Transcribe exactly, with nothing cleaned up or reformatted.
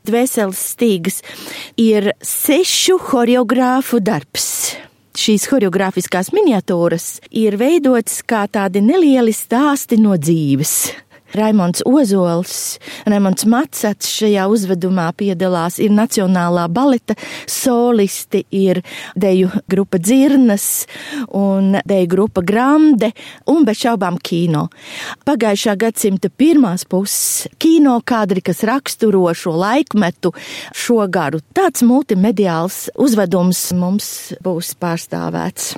Dvēseles stīgas ir sešu horeogrāfu darbs. Šīs horeogrāfiskās miniatūras ir veidotas kā tādi nelieli stāsti no dzīves. Raimonds Ozols, Raimonds Macats šajā uzvedumā piedalās, ir Nacionālā baleta solisti, ir deju grupa Dzirnas un deju grupa Grande un bez šaubām kino. Pagājušā gadsimta pirmās puses kino kadri, kas raksturo šo laikmetu, šo garu. Tāds multimediāls uzvedums mums būs pārstāvēts.